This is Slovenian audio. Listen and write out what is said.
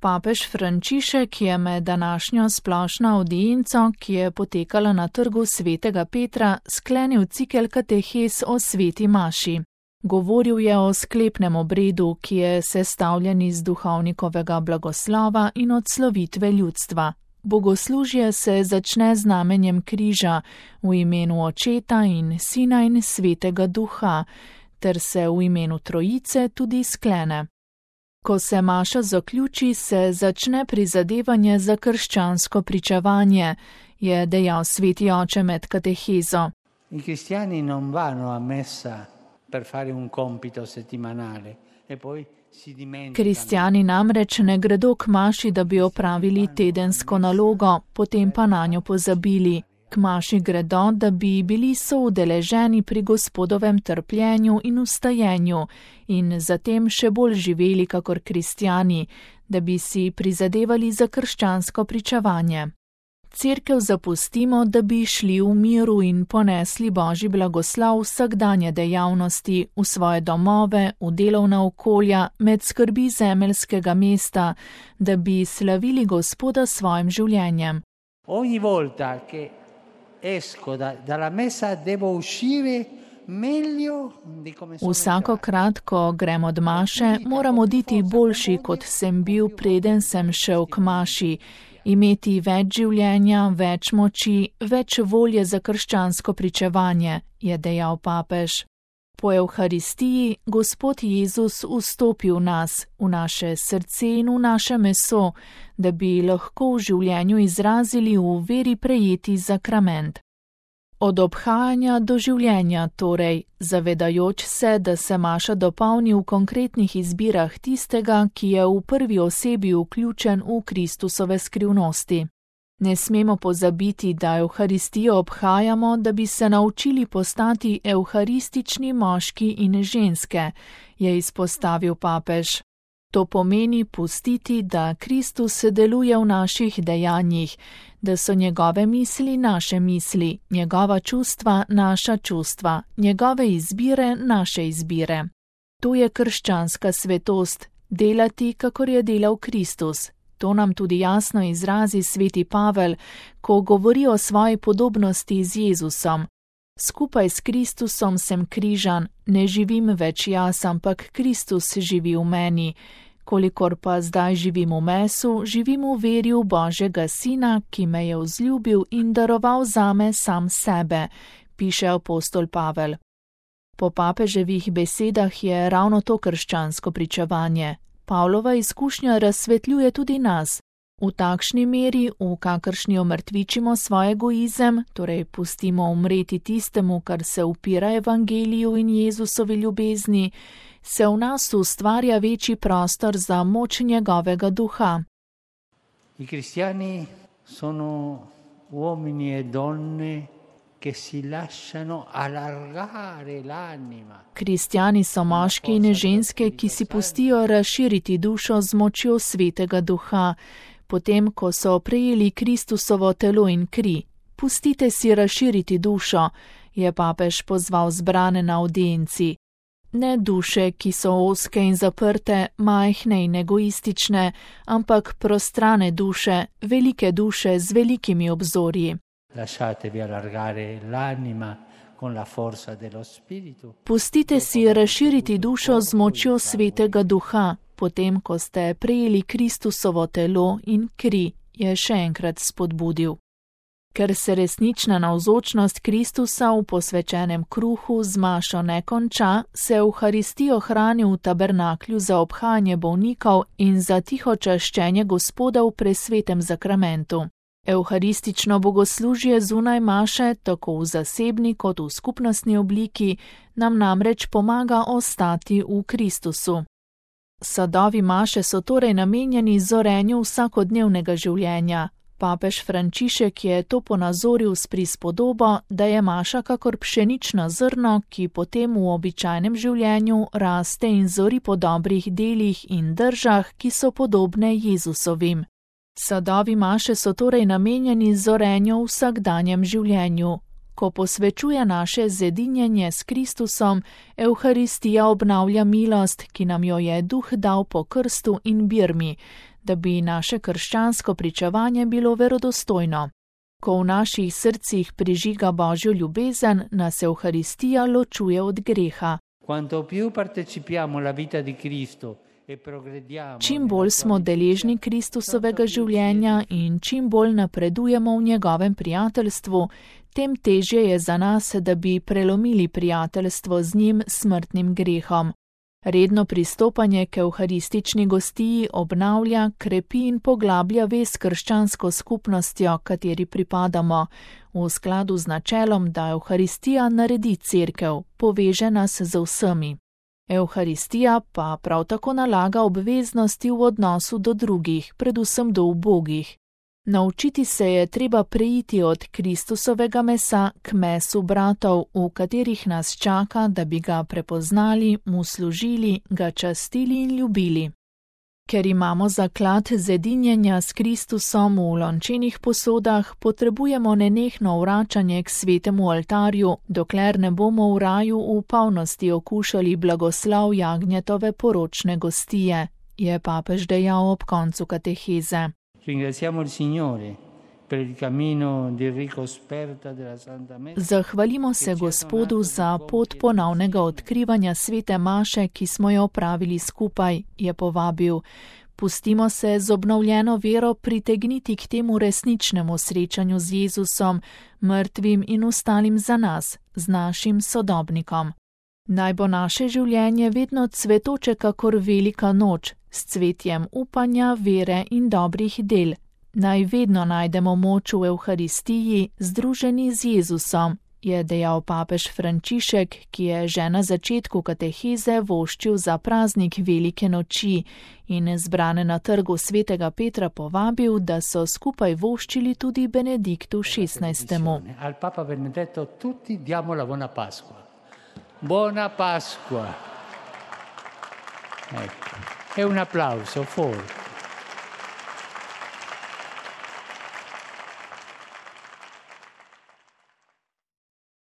Papež Frančišek je med današnjo splošno avdienco, ki je potekala na trgu svetega Petra, sklenil cikel katehes o sveti maši. Govoril je o sklepnem obredu, ki je sestavljen iz duhovnikovega blagoslova in odslovitve ljudstva. Bogoslužje se začne z znamenjem križa v imenu Očeta in Sina in Svetega Duha, ter se v imenu Trojice tudi sklene. Ko se maša zaključi, se začne prizadevanje za krščansko pričevanje, je dejal sveti oče med katehezo. I cristiani non vanno a messa per fare un compito settimanale e poi si dimenticano. Kristjani namreč ne gredo k maši, da bi opravili tedensko nalogo, potem pa nanjo pozabili. K maši gredo, da bi bili soudeleženi pri Gospodovem trpljenju in ustajenju in zatem še bolj živeli kakor kristjani, da bi si prizadevali za krščansko pričevanje. Cerkev zapustimo, da bi šli v miru in ponesli Božji blagoslov vsakdanje dejavnosti, v svoje domove, v delovna okolja, med skrbi zemeljskega mesta, da bi slavili Gospoda s svojim življenjem. Ogni volta che esco dalla messa devo uscire meglio di come sono. Vsakokrat, ko grem od maše, moram oditi boljši, kot sem bil, preden sem šel k maši. Imeti več življenja, več moči, več volje za krščansko pričevanje, je dejal papež. Po Evharistiji Gospod Jezus vstopi v nas, v naše srce in v naše meso, da bi lahko v življenju izrazili v veri prejeti zakrament. Od obhajanja do življenja torej, zavedajoč se, da se maša dopolni v konkretnih izbirah tistega, ki je v prvi osebi vključen v Kristusove skrivnosti. Ne smemo pozabiti, da Evharistijo obhajamo, da bi se naučili postati evharistični moški in ženske, je izpostavil papež. To pomeni pustiti, da Kristus deluje v naših dejanjih, da so njegove misli naše misli, njegova čustva naša čustva, njegove izbire naše izbire. To je krščanska svetost, delati, kakor je delal Kristus. To nam tudi jasno izrazi sveti Pavel, ko govori o svoji podobnosti z Jezusom. Skupaj s Kristusom sem križan, ne živim več jaz, ampak Kristus živi v meni. Kolikor pa zdaj živim v mesu, živim v veri v Božjega Sina, ki me je vzljubil in daroval zame sam sebe, piše apostol Pavel. Po papeževih besedah je ravno to krščansko pričevanje. Pavlova izkušnja razsvetljuje tudi nas. V takšni meri, v kakršni omrtvičimo svoj egoizem, torej pustimo umreti tistemu, kar se upira evangeliju in Jezusovi ljubezni, se v nas ustvarja večji prostor za moč njegovega duha. I cristiani sono uomini e donne che si lasciano allargare l'anima. Kristjani so moški in ženske, ki si pustijo razširiti dušo z močjo svetega duha, potem, ko so prejeli Kristusovo telo in kri. Pustite si razširiti dušo, je papež pozval zbrane na avdienci. Ne duše, ki so ozke in zaprte, majhne in egoistične, ampak prostrane duše, velike duše z velikimi obzorji. Lasciatevi allargare l'anima con la forza dello spirito. Pustite si razširiti dušo z močjo svetega duha, potem, ko ste prejeli Kristusovo telo in kri, je še enkrat spodbudil. Ker se resnična navzočnost Kristusa v posvečenem kruhu z mašo ne konča, se Evharistijo hrani v tabernaklju za obhajanje bolnikov in za tiho čaščenje Gospoda v presvetem zakramentu. Evharistično bogoslužje zunaj maše, tako v zasebni kot v skupnostni obliki, nam namreč pomaga ostati v Kristusu. Sadovi maše so torej namenjeni zorenju vsakodnevnega življenja. Papež Frančišek je to ponazoril s prispodobo, da je maša kakor pšenično zrno, ki potem v običajnem življenju raste in zori po dobrih delih in držah, ki so podobne Jezusovim. Sadovi maše so torej namenjeni zorenju v vsakdanjem življenju. Ko posvečuje naše zedinjenje s Kristusom, Evharistija obnavlja milost, ki nam jo je Duh dal po krstu in birmi, da bi naše krščansko pričevanje bilo verodostojno. Ko v naših srcih prižiga Božjo ljubezen, nas Evharistija ločuje od greha. Čim bolj smo deležni Kristusovega življenja in čim bolj napredujemo v njegovem prijateljstvu, tem težje je za nas, da bi prelomili prijateljstvo z njim smrtnim grehom. Redno pristopanje k evharistični gostiji obnavlja, krepi in poglablja vez s krščansko skupnostjo, kateri pripadamo, v skladu z načelom, da Evharistija naredi cerkev, poveže nas z vsemi. Evharistija pa prav tako nalaga obveznosti v odnosu do drugih, predvsem do ubogih. Naučiti se je treba preiti od Kristusovega mesa k mesu bratov, v katerih nas čaka, da bi ga prepoznali, mu služili, ga častili in ljubili. Ker imamo zaklad zedinjenja s Kristusom v lončenih posodah, potrebujemo nenehno vračanje k svetemu oltarju, dokler ne bomo v raju v polnosti okušali blagoslov jagnjetove poročne gostije, je papež dejal ob koncu kateheze. Zahvalimo se Gospodu za pot ponovnega odkrivanja svete maše, ki smo jo opravili skupaj, je povabil. Pustimo se z obnovljeno vero pritegniti k temu resničnemu srečanju z Jezusom, mrtvim in ostalim za nas, z našim sodobnikom. Naj bo naše življenje vedno cvetoče kakor velika noč, s cvetjem upanja, vere in dobrih del. Naj vedno najdemo moč v Evharistiji, združeni z Jezusom, je dejal papež Frančišek, ki je že na začetku kateheze voščil za praznik Velike noči in zbrane na trgu svetega Petra povabil, da so skupaj voščili tudi Benediktu XVI. Al Papa Benedetto tutti diamo la buona Pasqua. Buona Pasqua. Ecco. E un applauso forte.